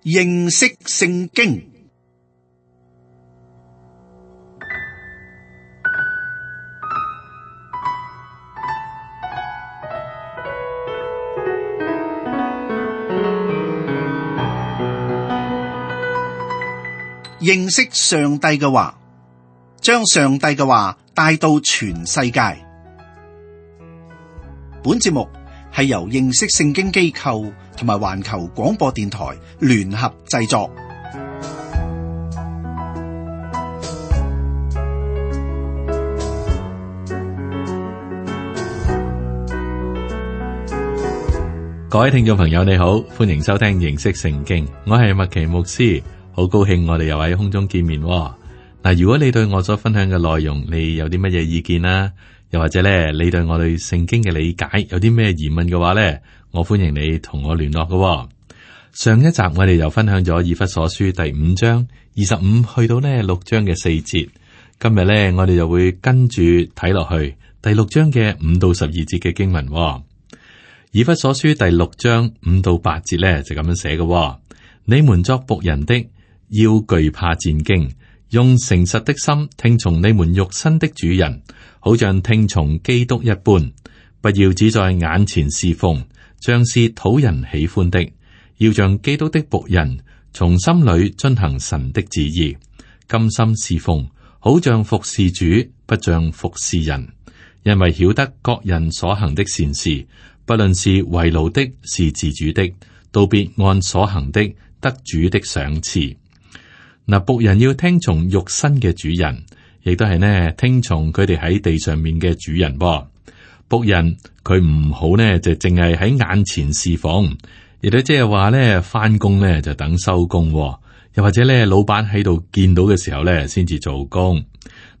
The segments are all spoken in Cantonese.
認識聖經。認識上帝嘅話，將上帝嘅話帶到全世界。本節目係由認識聖經機構同埋環球廣播電台聯合製作。各位聽眾朋友，你好，歡迎收聽認識聖經，我係麥奇牧師，好高興我哋又喺空中見面。嗱，如果你對我所分享嘅內容，你有啲乜嘢意見啦？又或者咧，你對我對聖經嘅理解有啲咩疑問嘅話咧，我歡迎你同我聯絡嘅。上一集我哋又分享咗以弗所書第5章25去到呢6章嘅4節，今日咧我哋就會跟住睇落去第6章嘅5到12節嘅經文。以弗所書第6章5到8節咧就咁樣寫嘅：你們作僕人的，要懼怕戰兢，用誠實的心聽從你們肉身的主人，好像聽從基督一般。不要只在眼前侍奉，像是討人喜歡的，要像基督的僕人，從心裏遵行神的旨意，甘心侍奉，好像服侍主，不像服侍人。因為曉得各人所行的善事，不論是為奴的，是自主的，都必按所行的得主的賞賜。嗱，僕人要聽從肉身嘅主人，亦都係呢聽從佢哋喺地上面嘅主人。僕人佢唔好呢就淨係喺眼前侍奉，亦都即係話呢翻工呢就等收工，又或者呢老闆喺度見到嘅時候呢先至做工。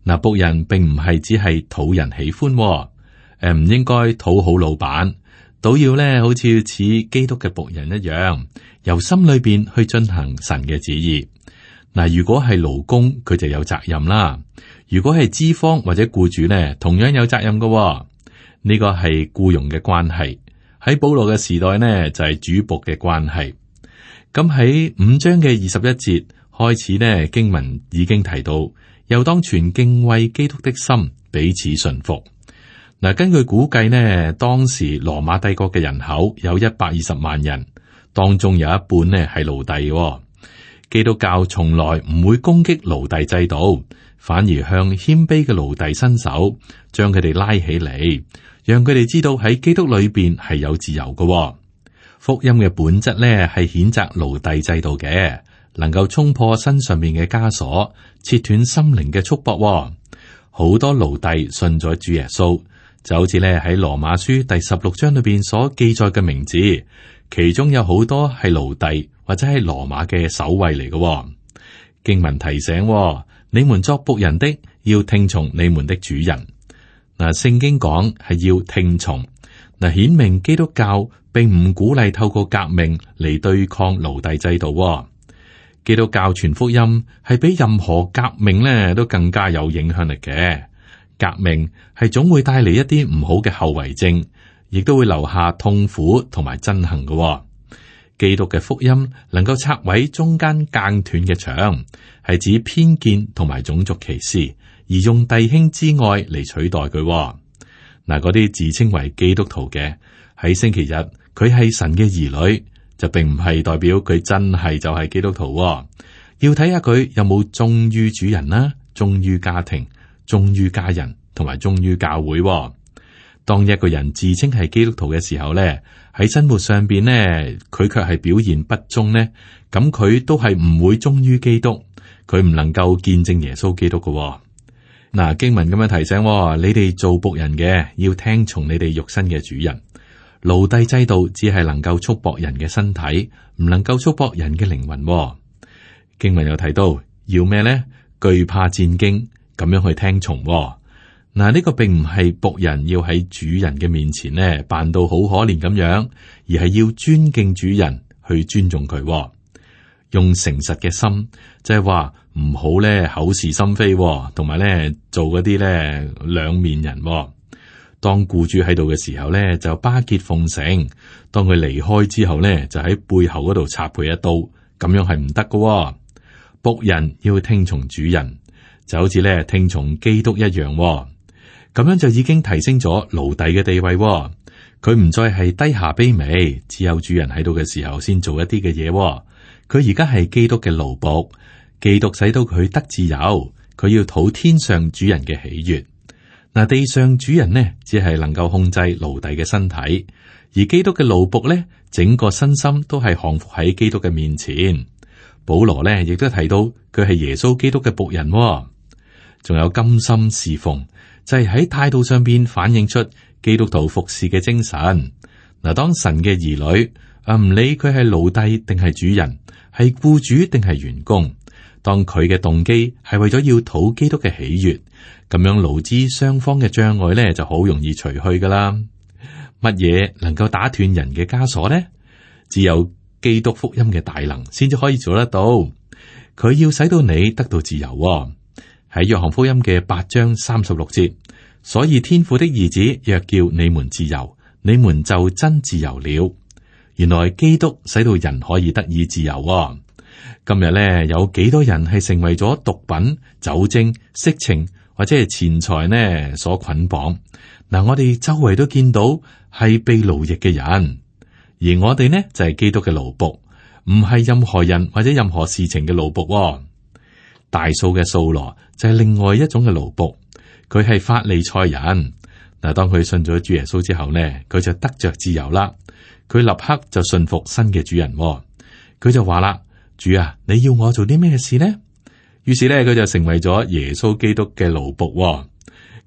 嗱，僕人並唔係只係討人喜歡，唔應該討好老闆，都要呢好似基督嘅僕人一樣，由心裏邊去進行神嘅旨意。嗱，如果係勞工，佢就有責任啦；如果係資方或者僱主呢，同樣有責任嘅。呢個係僱傭嘅關係。喺保羅嘅時代呢，就係主僕嘅關係。咁喺5章嘅21節開始呢，經文已經提到，又當存敬畏基督的心，彼此順服。嗱，根據估計呢，當時羅馬帝國嘅人口有120萬人，當中有一半呢係奴隸。基督教從來唔會攻擊奴隸制度，反而向謙卑嘅奴隸伸手，將佢哋拉起嚟，讓佢哋知道喺基督裏邊係有自由嘅。福音嘅本質咧係譴責奴隸制度嘅，能夠衝破身上面嘅枷鎖，切斷心靈嘅束縛。好多奴隸信咗主耶穌，就好似咧喺羅馬書第16章裏邊所記載嘅名字，其中有好多係奴隸或者係羅馬嘅守衛嚟嘅。經文提醒，你們作僕人的，要聽從你們的主人。嗱，聖經講係要聽從，嗱，顯明基督教並唔鼓勵透過革命嚟對抗奴隸制度。基督教傳福音係比任何革命咧都更加有影響力嘅。革命係總會帶嚟一啲唔好嘅後遺症，亦都會留下痛苦同埋憎恨嘅。基督嘅福音能夠拆毀中間間斷嘅牆，係指偏見同埋種族歧視，而用弟兄之愛嚟取代佢。嗱，嗰啲自稱為基督徒嘅，喺星期日佢係神嘅兒女，就並唔係代表佢真係就係基督徒。要睇下佢有冇忠於主人啦，忠於家庭，忠於家人，同埋忠於教會。當一個人自稱係基督徒嘅時候咧，喺生活上邊呢，佢卻係表現不忠呢，咁佢都係唔會忠於基督，佢唔能夠見證耶穌基督嘅。嗱，經文咁樣提醒，你哋做僕人嘅要聽從你哋肉身嘅主人。奴隸制度只係能夠束縛人嘅身體，唔能夠束縛人嘅靈魂。經文又提到要咩呢？懼怕戰兢，咁樣去聽從。嗱，呢個並唔係僕人要喺主人嘅面前呢扮到好可憐咁樣，而係要尊敬主人，去尊重佢。用誠實嘅心，即係話唔好咧口是心非，同埋咧做嗰啲咧兩面人。當僱主喺度嘅時候咧，就巴結奉承；當佢離開之後咧，就喺背後嗰度插佢一刀，咁樣係唔得噶。僕人要聽從主人，就好似咧聽從基督一樣。咁樣就已經提升咗奴隸嘅地位。佢唔再係低下卑微，只有主人喺度嘅時候先做一啲嘅嘢。佢而家係基督嘅奴僕，基督使到佢得自由，佢要討天上主人嘅喜悅。嗱，地上主人呢，只係能夠控制奴隸嘅身體，而基督嘅奴僕呢，整個身心都係降服喺基督嘅面前。保羅呢，亦都提到佢係耶穌基督嘅僕人，仲有甘心侍奉，就係喺態度上邊反映出基督徒服侍嘅精神。嗱，當神嘅兒女，唔理佢係奴隸定係主人，係僱主定係員工，當佢嘅動機係為咗要討基督嘅喜悅，咁樣勞資雙方嘅障礙咧就好容易除去噶啦。乜嘢能夠打斷人嘅枷鎖呢？只有基督福音嘅大能先至可以做得到。佢要使到你得到自由。喺約翰福音嘅8章36節，所以天父的兒子若叫你們自由，你們就真自由了。原來基督使到人可以得以自由。今日咧有幾多人係成為咗毒品、酒精、色情或者係錢財呢所捆綁？嗱，我哋周圍都見到係被奴役嘅人，而我哋呢就係基督嘅奴僕，唔係任何人或者任何事情嘅奴僕。大數嘅掃羅就係另外一種嘅奴僕，佢係法利賽人。嗱，當佢信咗主耶穌之後呢，佢就得着自由啦。佢立刻就信服新嘅主人，佢就話啦：主啊，你要我做啲咩事呢？於是咧，佢就成為咗耶穌基督嘅奴僕。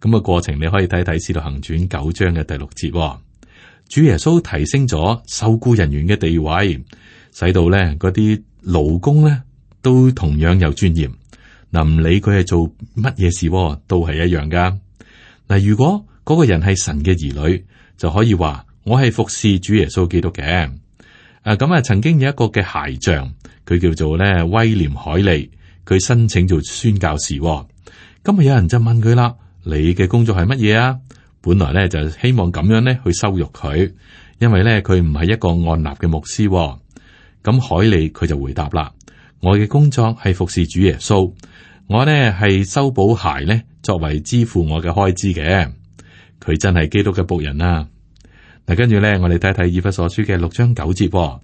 咁嘅過程你可以睇睇《使徒行傳》9章嘅第6節。主耶穌提升咗受僱人員嘅地位，使到咧嗰啲勞工咧都同樣有尊嚴。嗱，唔理佢係做乜嘢事，都係一樣噶。嗱，如果嗰個人係神嘅兒女，就可以話我係服侍主耶穌基督嘅。咁曾經有一個嘅鞋匠，佢叫做咧威廉海利，佢申請做宣教士。今日有人就問佢啦：你嘅工作係乜嘢啊？本來咧就希望咁樣咧去羞辱佢，因為咧佢唔係一個按立嘅牧師。咁海利佢就回答啦：我嘅工作係服侍主耶穌，我呢係修補鞋咧作為支付我嘅開支嘅。佢真係基督嘅僕人啊！嗱，跟住咧，我哋睇睇以弗所書嘅6章9節。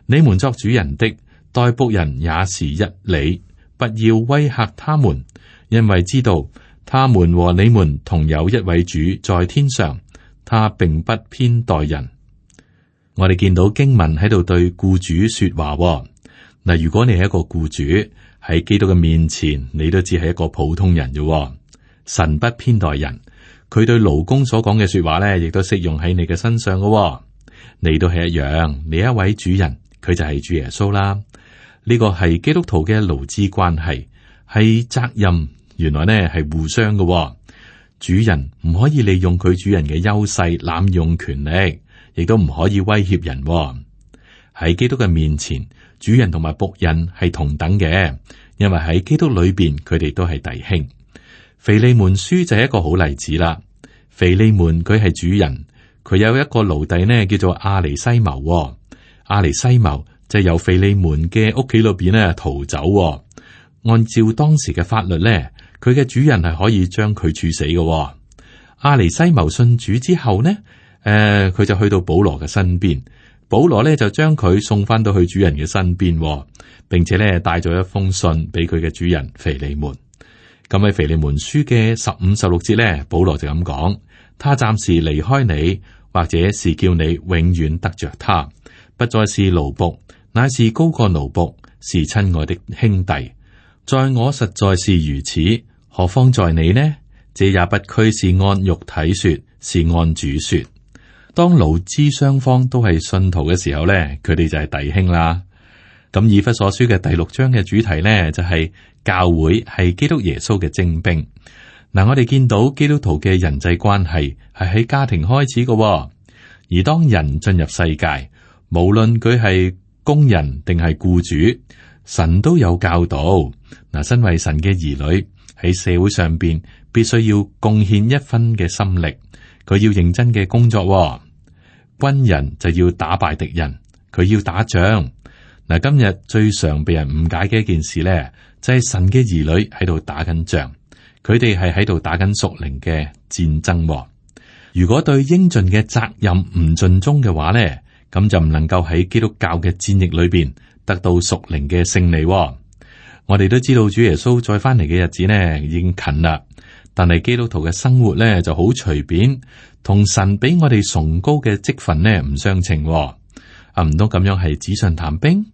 你們作主人的，待僕人也是一理，不要威嚇他們，因為知道他們和你們同有一位主在天上，他並不偏待人。我哋見到經文喺度對僱主說話。嗱，如果你係一個僱主喺基督嘅面前，你都只係一個普通人啫。神不偏待人。佢對勞工所講嘅說話咧，亦都適用喺你嘅身上嘅。你都係一樣，你一位主人，佢就係主耶穌啦。呢個係基督徒嘅勞資關係，係責任。原來呢係互相嘅。主人唔可以利用佢主人嘅優勢濫用權力，亦都唔可以威脅人。喺基督嘅面前，主人同埋僕人係同等嘅，因為喺基督裏邊，佢哋都係弟兄。腓利門書就係一個好例子啦。腓利門佢係主人，佢有一個奴隸呢，叫做阿尼西謀。阿尼西謀就由腓利門嘅屋企裏邊呢逃走。按照當時嘅法律呢，佢嘅主人係可以將佢處死嘅。阿尼西謀信主之後呢，佢就去到保羅嘅身邊，保羅呢就將佢送翻到去主人嘅身邊，並且呢帶咗一封信俾佢嘅主人腓利門。咁喺腓利門書嘅15、16節咧，保羅就咁講：他暫時離開你，或者是叫你永遠得着他，不再是奴僕，乃是高過奴僕，是親愛的兄弟。在我實在是如此，何況在你呢？這也不拘是按肉體說，是按主說。當勞資雙方都係信徒嘅時候咧，佢哋就係弟兄啦。咁以弗所書嘅第6章嘅主題呢，就係教會係基督耶穌嘅精兵。嗱，我哋見到基督徒嘅人際關係係喺家庭開始嘅，而當人進入世界，無論佢係工人定係僱主，神都有教導。嗱，身為神嘅兒女喺社會上邊，必須要貢獻一分嘅心力，佢要認真嘅工作。軍人就要打敗敵人，佢要打仗。嗱，今日最常被人誤解嘅一件事咧，就係神嘅兒女喺度打緊仗，佢哋係喺度打緊屬靈嘅戰爭。如果對應盡嘅責任唔盡忠嘅話咧，咁就唔能夠喺基督教嘅戰役裏邊得到屬靈嘅勝利。我哋都知道主耶穌再翻嚟嘅日子呢已經近啦，但係基督徒嘅生活咧就好隨便，同神俾我哋崇高嘅職分呢唔相稱。唔通咁樣係紙上談兵？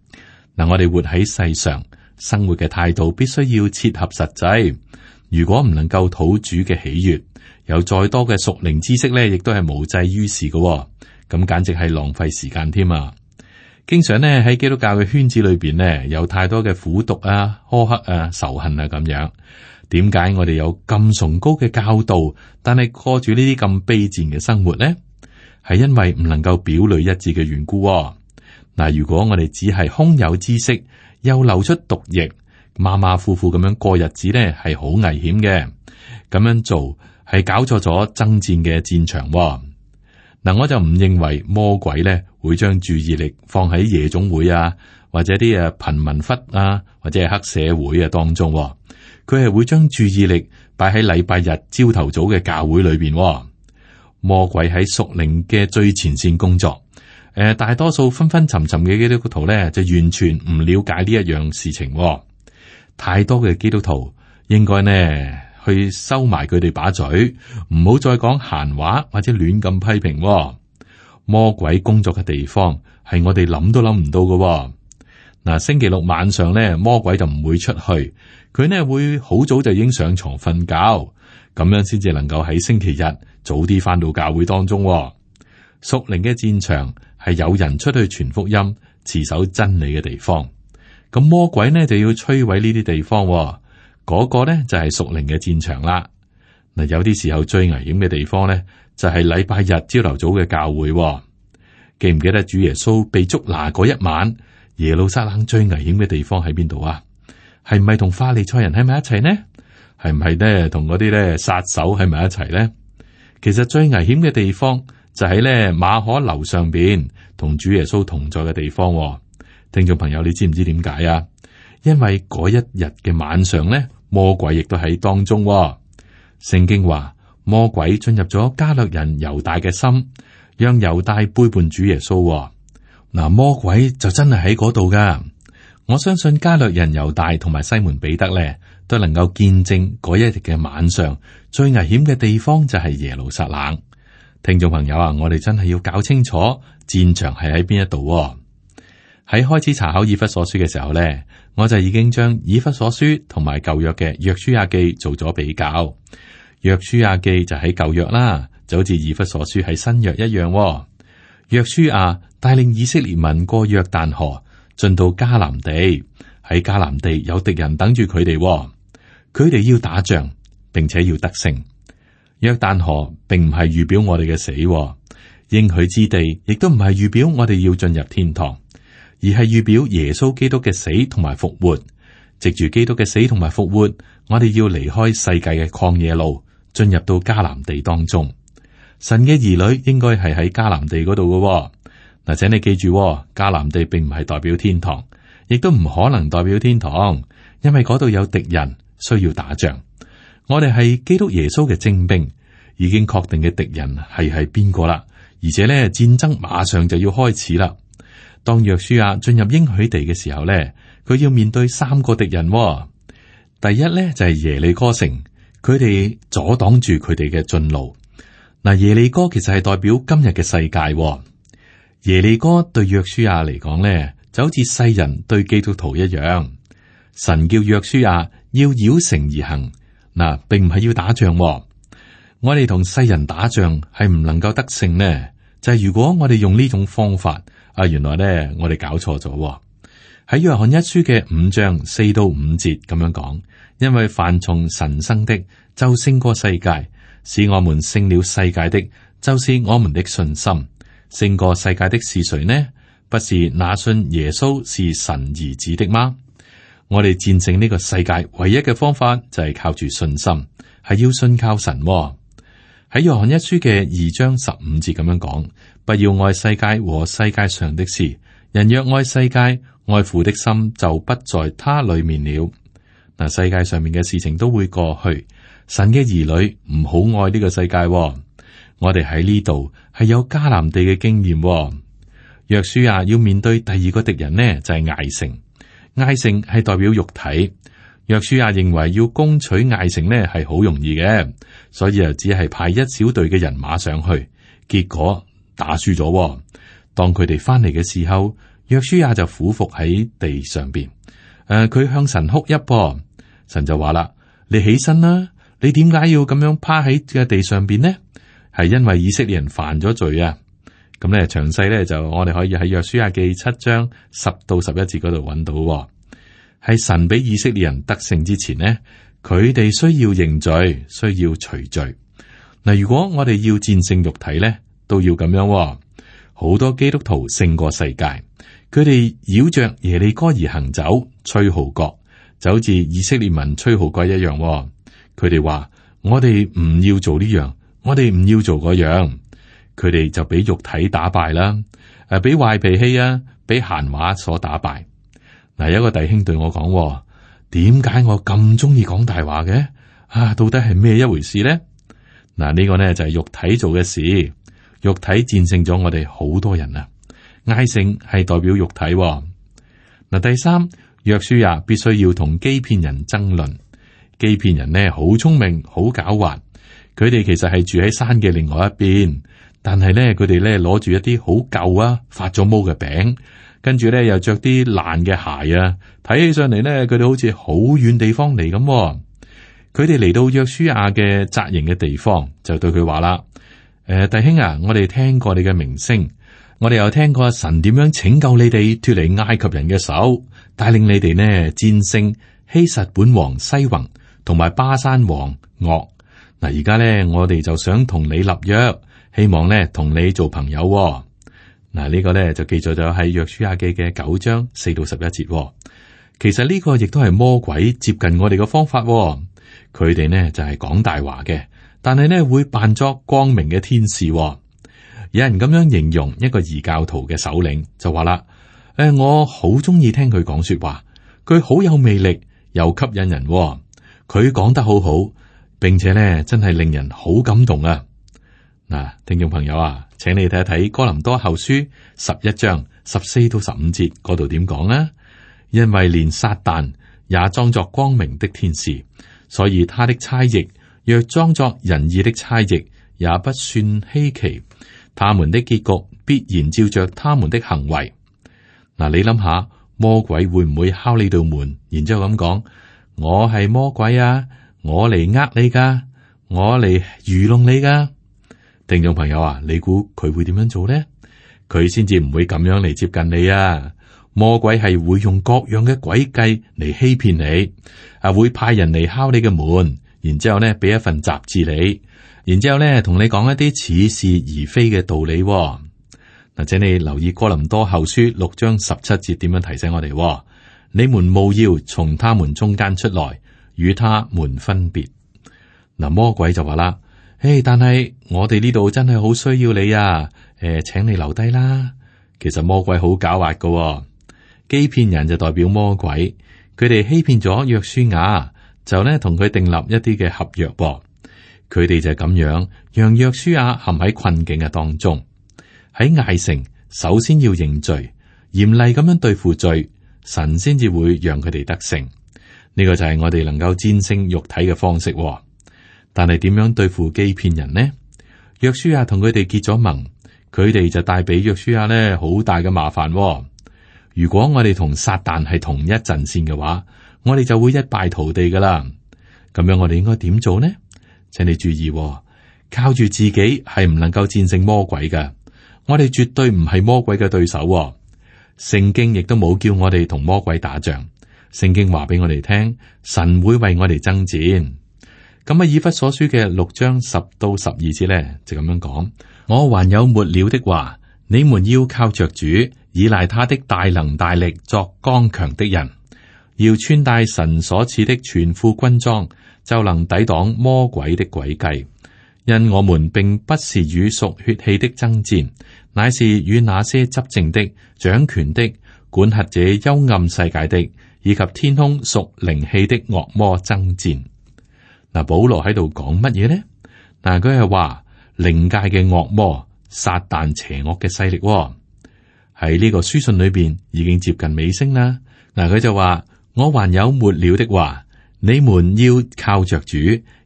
嗱，我哋活喺世上，生活嘅態度必須要切合實際。如果唔能夠討主嘅喜悅，有再多嘅屬靈知識咧，亦都係無濟於事嘅。咁簡直係浪費時間添啊！經常呢喺基督教嘅圈子裏邊呢，有太多嘅苦毒啊、苛刻啊、仇恨啊咁樣。點解我哋有咁崇高嘅教導，但係過住呢啲咁卑賤嘅生活呢？係因為唔能夠表裏一致嘅緣故。嗱，如果我哋只係空有知識，又流出毒液，馬馬虎虎咁樣過日子呢，係好危險嘅。咁樣做係搞錯咗爭戰嘅戰場。嗱，我就唔認為魔鬼咧會將注意力放喺夜總會啊，或者啲貧民窟啊，或者係黑社會啊當中。佢係會將注意力擺喺禮拜日朝頭早嘅教會裏邊。魔鬼喺屬靈嘅最前線工作。大多數昏昏沉沉嘅基督徒咧，就完全唔了解呢一樣事情。太多嘅基督徒應該呢去收埋佢哋把嘴，唔好再講閒話或者亂咁批評。魔鬼工作嘅地方係我哋諗都諗唔到嘅。嗱，星期六晚上咧，魔鬼就唔會出去，佢呢會好早就已經上床瞓覺，咁樣先至能夠喺星期日早啲翻到教會當中。屬靈嘅戰場係有人出去傳福音、持守真理嘅地方，咁魔鬼呢就要摧毀呢啲地方。嗰個呢就係屬靈嘅戰場啦。嗱，有啲時候最危險嘅地方呢，就係禮拜日朝頭早嘅教會。記唔記得主耶穌被捉拿嗰一晚，耶路撒冷最危險嘅地方喺邊度啊？係唔係同法利賽人喺埋一齊呢？係唔係呢同嗰啲呢殺手喺埋一齊呢？其實最危險嘅地方就喺呢馬可樓上邊同主耶穌同在嘅地方。聽眾朋友，你知唔知點解啊？因為嗰一日嘅晚上呢，魔鬼亦都喺當中。聖經話魔鬼進入咗加略人猶大嘅心，讓猶大背叛主耶穌。嗱，魔鬼就真係喺嗰度噶。我相信加略人猶大同埋西門彼得咧，都能夠見證嗰一日嘅晚上最危險嘅地方就係耶路撒冷。聽眾朋友啊，我哋真係要搞清楚戰場係喺邊一度。喺開始查考以弗所書嘅時候咧，我就已經將以弗所書同埋舊約嘅約書亞記做咗比較。約書亞記就喺舊約啦，就好似以弗所書喺新約一樣。約書亞帶領以色列民過約旦河，進到迦南地。喺迦南地有敵人等住佢哋，佢哋要打仗，並且要得勝。約旦河並唔係預表我哋嘅死，應許之地亦都唔係預表我哋要進入天堂，而係預表耶穌基督嘅死同埋復活。藉住基督嘅死同埋復活，我哋要離開世界嘅曠野路，進入到迦南地當中。神嘅兒女應該係喺迦南地嗰度嘅。嗱，請你記住，迦南地並唔係代表天堂，亦都唔可能代表天堂，因為嗰度有敵人需要打仗。我哋係基督耶穌嘅精兵，已經確定嘅敵人係邊個啦，而且咧戰爭馬上就要開始啦。當約書亞進入應許地嘅時候咧，佢要面對3個敵人。第一咧就係耶利哥城，佢哋阻擋住佢哋嘅進路。嗱，耶利哥其實係代表今日嘅世界。耶利哥對約書亞嚟講咧，就好似世人對基督徒一樣。神叫約書亞要繞城而行，嗱，並唔係要打仗。我哋同世人打仗係唔能夠得勝呢，就係如果我哋用呢種方法，原來咧我哋搞錯咗。喺約翰一書嘅5章4到5節咁樣講，因為凡從神生的就勝過世界，使我們勝了世界的，就是我們的信心。勝過世界的是誰呢？不是那信耶穌是神兒子的嗎？我哋戰勝呢個世界唯一嘅方法就係靠住信心，係要信靠神。喺約翰一書嘅2章15節咁樣講，不要愛世界和世界上的事。人若愛世界，愛父的心就不在他裏面了。嗱，世界上面嘅事情都會過去，神嘅兒女唔好愛呢個世界。我哋喺呢度係有迦南地嘅經驗。約書亞要面對第二個敵人呢，就係艾城。艾城係代表肉體。約書亞認為要攻取艾城呢係好容易嘅，所以就只係派一小隊嘅人馬上去，結果打輸咗。當佢哋翻嚟嘅時候，約書亞就俯伏喺地上邊。佢向神哭泣，神就話啦：你起身啦！你點解要咁樣趴喺嘅地上邊呢？係因為以色列人犯咗罪啊！咁咧詳細咧就我哋可以喺約書亞記7章10到11節嗰度揾到。係神俾以色列人得勝之前呢，佢哋需要認罪，需要除罪。嗱，如果我哋要戰勝肉體咧，都要咁樣。好多基督徒勝過世界，佢哋繞着耶利哥而行走，吹號角，就好似以色列民吹號角一樣。佢哋話：我哋唔要做呢樣，我哋唔要做嗰樣。佢哋就俾肉體打敗啦，俾壞脾氣啊，俾閒話所打敗。嗱，有一個弟兄對我講：點解我咁中意講大話嘅？到底係咩一回事呢？嗱，呢個呢就係肉體做嘅事，肉體戰勝咗我哋好多人啊。艾城係代表肉體。嗱，第三，約書亞必須要同基遍人爭論。基遍人呢好聰明，好狡猾。佢哋其實係住喺山嘅另外一邊，但係呢，佢哋呢攞住一啲好舊啊、發咗毛嘅餅，跟住呢又着啲爛嘅鞋啊，睇起上嚟呢，佢哋好似好遠地方嚟咁。佢哋嚟到約書亞嘅紮營嘅地方，就對佢話啦：弟兄啊，我哋聽過你嘅名聲，我哋又聽過神點樣拯救你哋脫離埃及人嘅手，帶領你哋呢戰勝希實本王西宏同埋巴山王噩。嗱，而家咧，我哋就想同你立約，希望咧同你做朋友。嗱，呢個咧就記載咗喺約書亞記嘅9章4到11節。其實呢個亦都係魔鬼接近我哋嘅方法。佢哋呢就係講大話嘅，但係呢會扮作光明嘅天使。有人咁樣形容一個異教徒嘅首領，就話啦：我好中意聽佢講說話，佢好有魅力，又吸引人。佢講得好好。並且咧，真係令人好感動啊！嗱，聽眾朋友啊，請你睇一睇哥林多後書11章14到15節嗰度點講啊？因為連撒旦也裝作光明的天使，所以他的差役若裝作仁義的差役，也不算稀奇。他們的結局必然照着他們的行為。嗱，你諗下，魔鬼會唔會敲你道門，然之後咁講：我係魔鬼啊！我嚟呃你噶，我嚟愚弄你噶。聽眾朋友啊，你估佢會點樣做呢？佢先至唔會咁樣嚟接近你啊！魔鬼係會用各樣嘅詭計嚟欺騙你，會派人嚟敲你嘅門，然之後咧俾一份雜誌你，然之後咧同你講一啲似是而非嘅道理。嗱，請你留意哥林多後書6章17節點樣提醒我哋：你們務要從他們中間出來，與他們分別。嗱，魔鬼就話啦：但係我哋呢度真係好需要你啊！請你留低啦。其實魔鬼好狡猾噶，基遍人就代表魔鬼，佢哋欺騙咗約書亞，就呢同佢訂立一啲嘅合約。佢哋就咁樣讓約書亞陷喺困境嘅當中。喺艾城，首先要認罪，嚴厲咁樣對付罪，神先至會讓佢哋得勝。呢個就係我哋能夠戰勝肉體嘅方式。但係點樣對付基遍人呢？約書亞同佢哋結咗盟，佢哋就帶俾約書亞呢好大嘅麻煩。如果我哋同撒旦係同一陣線嘅話，我哋就會一敗塗地噶啦。咁樣我哋應該點做呢？請你注意，靠住自己係唔能夠戰勝魔鬼嘅。我哋絕對唔係魔鬼嘅對手。聖經亦都冇叫我哋同魔鬼打仗。聖經話俾我哋聽，神會為我哋爭戰。咁啊，以弗所書嘅6章10到12節咧，就咁樣講：我還有末了的話，你們要靠着主，倚賴他的大能大力，作剛強的人，要穿戴神所賜的全副軍裝，就能抵擋魔鬼的詭計。因我們並不是與屬血氣的爭戰，乃是與那些執政的、掌權的、管轄這幽暗世界的，以及天空屬靈氣的惡魔爭戰。嗱，保羅喺度講乜嘢呢？嗱，佢係話靈界嘅惡魔撒旦邪惡嘅勢力喺呢個書信裏邊已經接近尾聲啦。嗱，佢就話：我還有末了的話，你們要靠着主，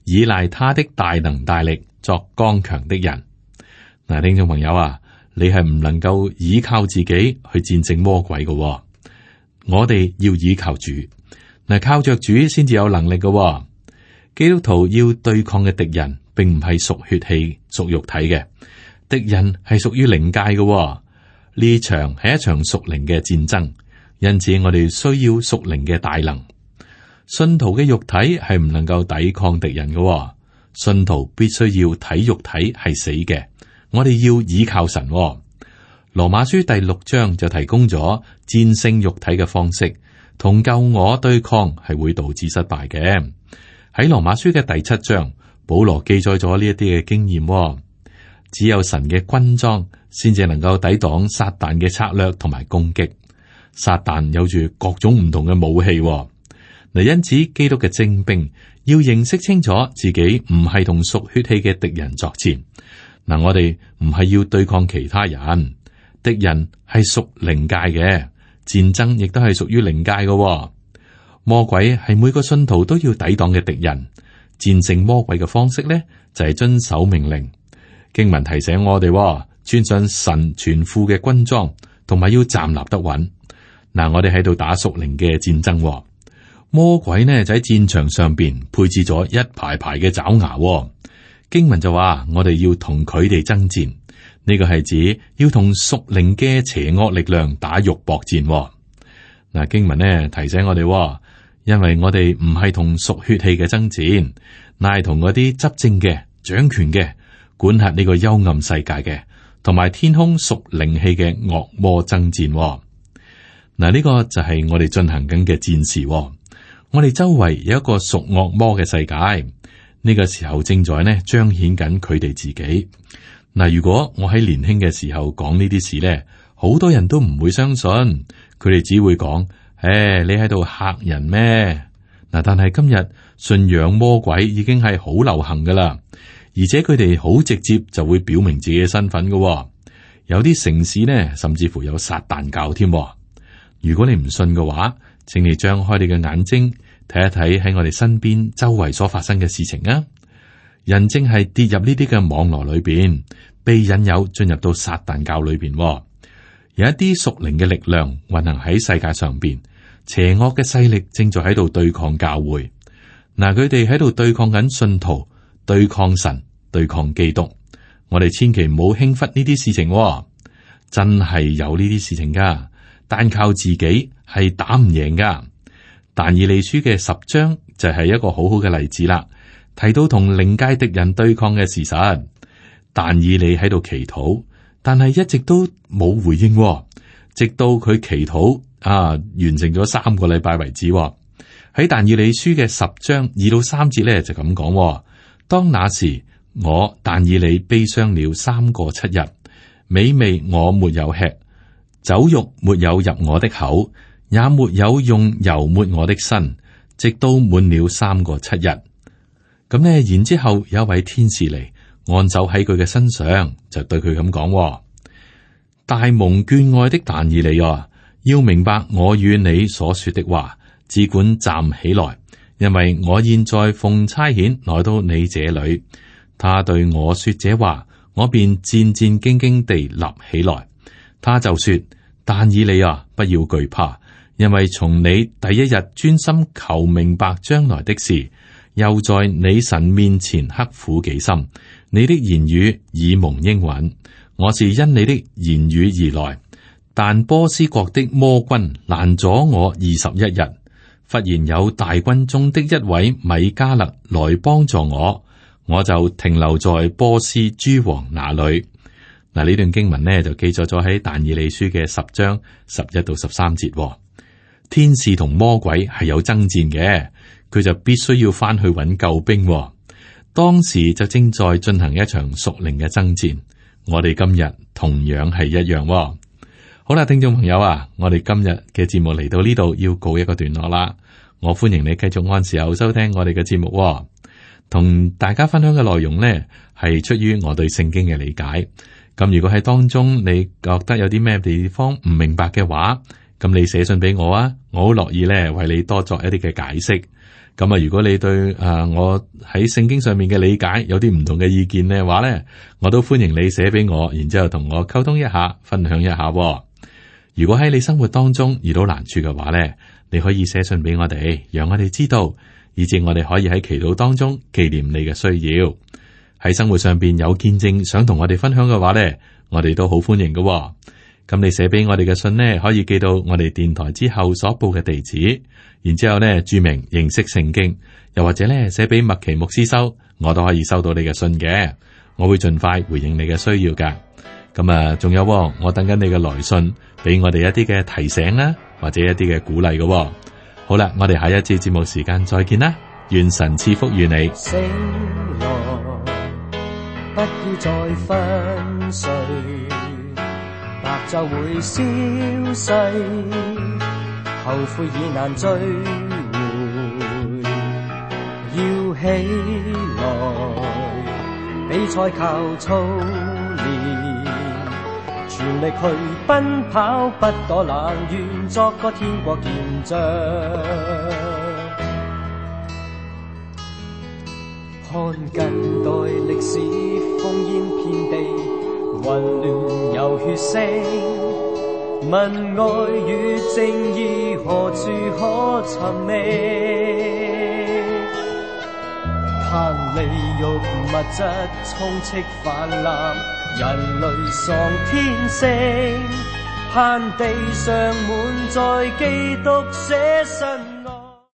倚賴他的大能大力，作剛強的人。嗱，聽眾朋友啊，你係唔能夠依靠自己去戰勝魔鬼嘅。我哋要依靠主。嗱，靠着主先至有能力嘅。基督徒要對抗嘅敵人，並唔係屬血氣、屬肉體嘅敵人，係屬於靈界嘅。呢場係一場屬靈嘅戰爭，因此我哋需要屬靈嘅大能。信徒嘅肉體係唔能夠抵抗敵人嘅，信徒必須要睇肉體係死嘅。我哋要倚靠神。羅馬書第6章就提供咗戰勝肉體嘅方式，同救我對抗係會導致失敗嘅。喺羅馬書嘅第7章，保羅記載咗呢一啲嘅經驗。只有神嘅軍裝先至能夠抵擋撒旦嘅策略同埋攻擊。撒旦有住各種唔同嘅武器。嗱，因此基督嘅精兵要認識清楚自己唔係同屬血氣嘅敵人作戰。嗱，我哋唔係要對抗其他人，敵人係屬靈界嘅，戰爭亦都係屬於靈界嘅。魔鬼係每個信徒都要抵擋嘅敵人。戰勝魔鬼嘅方式呢，就係遵守命令。經文提醒我哋，穿上神全副嘅軍裝，同埋要站立得穩。嗱，我哋喺度打屬靈嘅戰爭。魔鬼呢就喺戰場上邊配置咗一排排嘅爪牙。經文就話我哋要同佢哋爭戰，呢個係指要同屬靈嘅邪惡力量打肉搏戰。嗱，經文呢提醒我哋，因為我哋唔係同屬血氣嘅爭戰，乃係同嗰啲執政嘅、掌權嘅、管轄呢個幽暗世界嘅，同埋天空屬靈氣嘅惡魔爭戰。嗱，呢個就係我哋進行緊嘅戰事。我哋周圍有一個屬惡魔嘅世界，呢個時候正在呢彰顯緊佢哋自己。嗱，如果我喺年輕嘅時候講呢啲事呢，好多人都唔會相信，佢哋只會講：你喺度嚇人咩？嗱，但係今日信仰魔鬼已經係好流行噶啦，而且佢哋好直接就會表明自己嘅身份噶。有啲城市呢，甚至乎有撒旦教添。如果你唔信嘅話，請你張開你嘅眼睛睇一睇喺我哋身邊周圍所發生嘅事情啊！人正係跌入呢啲嘅網絡裏邊，被引誘進入到撒旦教裏邊。有一啲屬靈嘅力量運行喺世界上邊，邪惡嘅勢力正在喺度對抗教會。嗱，佢哋喺度對抗緊信徒，對抗神，對抗基督。我哋千祈唔好輕忽呢啲事情。真係有呢啲事情噶，單靠自己係打唔贏噶。但以理書嘅10章就係一個好好嘅例子啦，提到同靈界敵人對抗嘅事實。但以理喺度祈禱，但係一直都冇回應，直到佢祈禱完成咗3個禮拜為止。喺但以理書嘅10章2到3節咧就咁講：當那時，我但以理悲傷了3個7日，美味我沒有吃，酒肉沒有入我的口，也沒有用油抹我的身，直到滿了3個7日。咁呢，然之後有一位天使嚟按手喺佢嘅身上，就對佢咁講：大蒙眷愛的但以理啊，要明白我與你所說的話，只管站起來，因為我現在奉差遣來到你這裏。他對我說這話，我便戰戰兢兢地立起來。他就說：但以理啊，不要懼怕，因為從你第一日專心求明白將來的事，又在你神面前刻苦己心，你的言語已蒙應允。我是因你的言語而來，但波斯國的魔軍攔阻我21日，忽然有大軍中的一位米迦勒來幫助我，我就停留在波斯諸王那裏。嗱，呢段經文呢就記載咗喺但以理書嘅10章11到13節。天使同魔鬼係有爭戰嘅，佢就必須要翻去揾救兵。當時就正在進行一場屬靈嘅爭戰。我哋今日同樣係一樣。好啦，聽眾朋友啊，我哋今日嘅節目嚟到呢度要告一個段落啦。我歡迎你繼續按時候收聽我哋嘅節目喎。同大家分享嘅內容呢，係出於我對聖經嘅理解。咁如果喺當中你覺得有啲咩地方唔明白嘅話，咁你寫信俾我啊，我好樂意咧為你多作一啲嘅解釋。咁啊，如果你對我喺聖經上面嘅理解有啲唔同嘅意見嘅話咧，我都歡迎你寫俾我，然之後同我溝通一下，分享一下喎。如果喺你生活當中遇到難處嘅話咧，你可以寫信俾我哋，讓我哋知道，以致我哋可以喺祈禱當中紀念你嘅需要。喺生活上邊有見證想同我哋分享嘅話咧，我哋都好歡迎嘅喎。咁你寫俾我哋嘅信呢，可以寄到我哋電台之後所報嘅地址，然之後呢注明認識聖經，又或者呢寫俾麥奇牧師收，我都可以收到你嘅信嘅，我會盡快回應你嘅需要噶。咁啊，仲有我等緊你嘅來信，俾我哋一啲嘅提醒啦，或者一啲嘅鼓勵嘅。好啦，我哋下一次節目時間再見啦，願神賜福於你。醒來，不要再昏睡，白晝會消逝，後悔已難追回。要起來，比賽靠操練，全力去奔跑，不躲懶，願作個天國見證。看近代歷史烽煙遍地，混亂有血腥，問愛與正義何處可尋覓？貪利欲物質充斥泛濫，人類喪天性，盼地上滿載基督捨身。